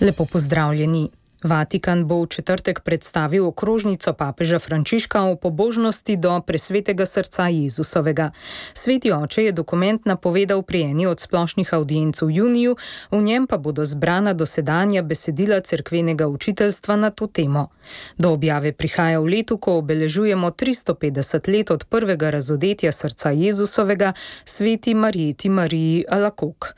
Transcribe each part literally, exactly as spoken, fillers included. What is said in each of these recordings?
Lepo pozdravljeni. Vatikan bo v četrtek predstavil okrožnico papeža Frančiška o pobožnosti do presvetega srca Jezusovega. Sveti oče je dokument napovedal pri eni od splošnih avdienc v juniju, v njem pa bodo zbrana dosedanja besedila cerkvenega učiteljstva na to temo. Do objave prihaja v letu, ko obeležujemo tristo petdeset let od prvega razodetja srca Jezusovega sveti Marjeti Mariji Alakok.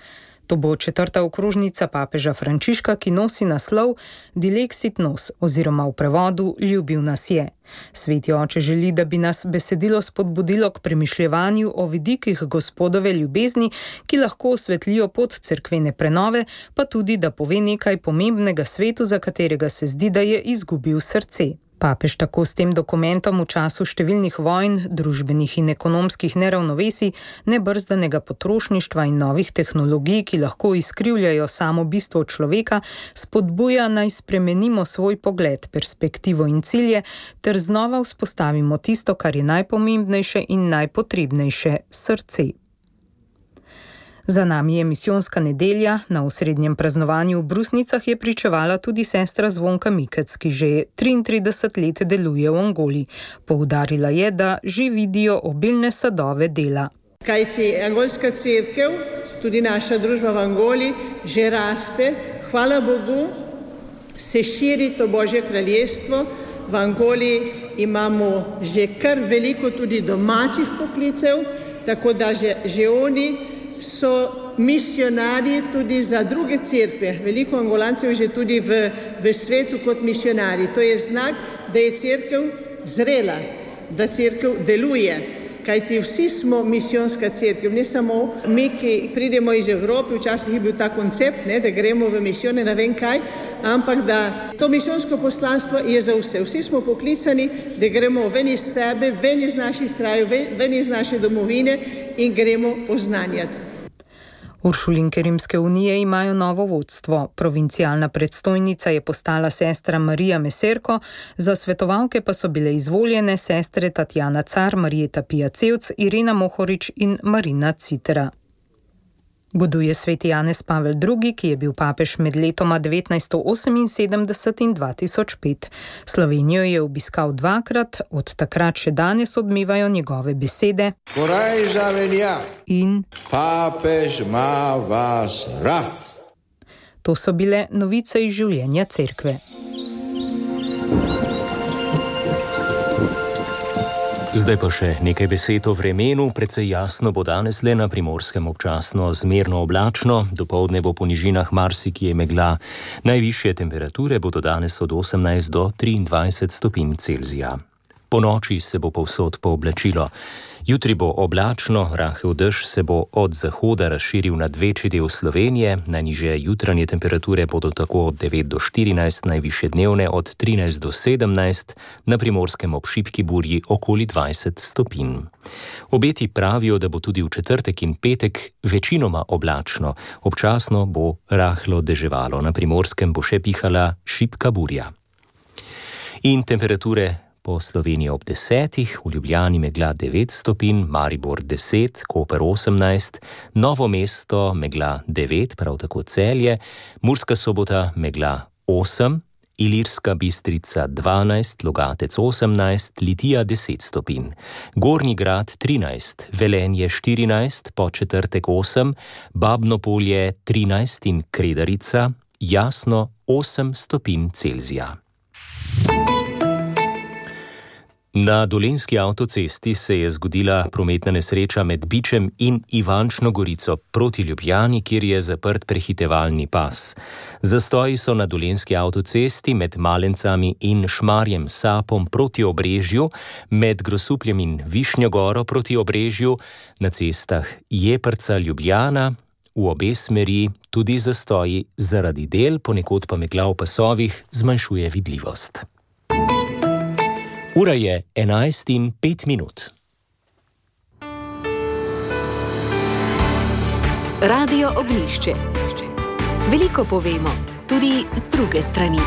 To bo četrta okrožnica papeža Frančiška, ki nosi naslov Dilexit nos oziroma v prevodu Ljubil nas je. Sveti oče želi, da bi nas besedilo spodbudilo k premišljevanju o vidikih Gospodove ljubezni, ki lahko osvetlijo pot cerkvene prenove, pa tudi, da pove nekaj pomembnega svetu, za katerega se zdi, da je izgubil srce. Papež tako s tem dokumentom v času številnih vojn, družbenih in ekonomskih neravnovesij, nebrzdanega potrošništva in novih tehnologij, ki lahko izkrivljajo samo bistvo človeka, spodbuja naj spremenimo svoj pogled, perspektivo in cilje, ter znova vzpostavimo tisto, kar je najpomembnejše in najpotrebnejše, srce. Za nami je misijonska nedelja, na osrednjem praznovanju v Brusnicah je pričevala tudi sestra Zvonka Mikec, ki že triintrideset let deluje v Angoli. Poudarila je, da že vidijo obilne sadove dela. Kajti angolska cerkev, tudi naša družba v Angoli, že raste, hvala Bogu, se širi to Božje kraljestvo. V Angoli imamo že kar veliko tudi domačih poklicev, tako da že, že oni so misionarji tudi za druge cerkve. Veliko Angolancev je že tudi v, v svetu kot misionarji. To je znak, da je cerkev zrela, da cerkev deluje. Kajti vsi smo misijonska cerkev, ne samo mi, ki pridemo iz Evrope, včasih je bil ta koncept, ne, da gremo v misijone, ne vem kaj, ampak da to misijonsko poslanstvo je za vse. Vsi smo poklicani, da gremo ven iz sebe, ven iz naših krajev, ven iz naše domovine in gremo oznanjati. Uršulinke Rimske unije imajo novo vodstvo. Provincialna predstojnica je postala sestra Marija Meserko, za svetovalke pa so bile izvoljene sestre Tatjana Car, Marjeta Pijacevc, Irena Mohorič in Marina Citera. Goduje sveti Janez Pavel drugi, ki je bil papež med letoma devetnajststo oseminsedemdeset in dva tisoč pet. Slovenijo je obiskal dvakrat, od takrat še danes odmevajo njegove besede. Korajža velja. In papež ima vas rad. To so bile novice iz življenja cerkve. Zdaj pa še nekaj besed o vremenu. Precej jasno bo danes, le na Primorskem občasno zmerno oblačno, dopoldne bo po nižinah marsikje megla. Najvišje temperature bodo danes od osemnajst do triindvajset stopinj Celzija. Po noči se bo povsod pooblačilo. Jutri bo oblačno, rahel dež se bo od zahoda razširil nad večji del Slovenije, najnižje jutranje temperature bodo tako od devet do štirinajst, najvišje dnevne od trinajst do sedemnajst, na Primorskem ob šibki burji okoli dvajset stopinj. Obeti pravijo, da bo tudi v četrtek in petek večinoma oblačno, občasno bo rahlo deževalo, na Primorskem bo še pihala šibka burja. In temperature po Sloveniji ob desetih, v Ljubljani megla devet stopinj, Maribor deset, Koper osemnajst, Novo mesto megla devet, prav tako Celje, Murska Sobota megla osem, Ilirska Bistrica dvanajst, Logatec osemnajst, Litija deset stopinj, Gornji Grad trinajst, Velenje štirinajst, Podčetrtek osem, Babno Polje trinajst in Kredarica jasno osem stopinj Celzija. Na Dolenjski avtocesti se je zgodila prometna nesreča med Bičem in Ivančno Gorico proti Ljubljani, kjer je zaprt prehitevalni pas. Zastoji so na Dolenjski avtocesti med Malencami in Šmarjem Sapom proti Obrežju, med Grosupljem in Višnjo Goro proti Obrežju, na cestah Jeprca Ljubljana, v obe smeri tudi zastoji zaradi del, ponekod pa megla v pasovih zmanjšuje vidljivost. Ura je enajst in pet minut. Radio Ognjišče. Veliko povemo, tudi z druge strani.